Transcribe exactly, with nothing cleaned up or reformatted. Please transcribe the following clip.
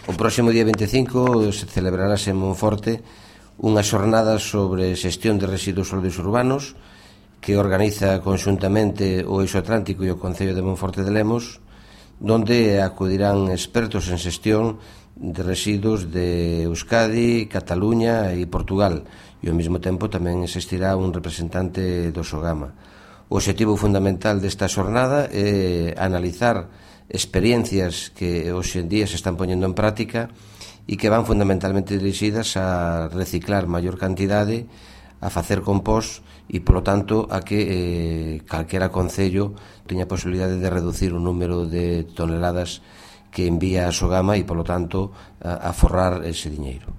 O próximo día vinte e cinco se celebrarase en Monforte unha xornada sobre xestión de residuos sólidos urbanos que organiza conxuntamente o Eixo Atlántico e o Concello de Monforte de Lemos, donde acudirán expertos en xestión de residuos de Euskadi, Cataluña e Portugal, e ao mesmo tempo tamén existirá un representante do Sogama. O obxectivo fundamental desta xornada é analizar experiencias que hoxe en día se están poñendo en práctica e que van fundamentalmente dirixidas a reciclar maior cantidade, a facer compost e, polo tanto, a que eh, calquera concello teña a posibilidade de reducir o número de toneladas que envía a Sogama e, polo tanto, a, a forrar ese diñeiro.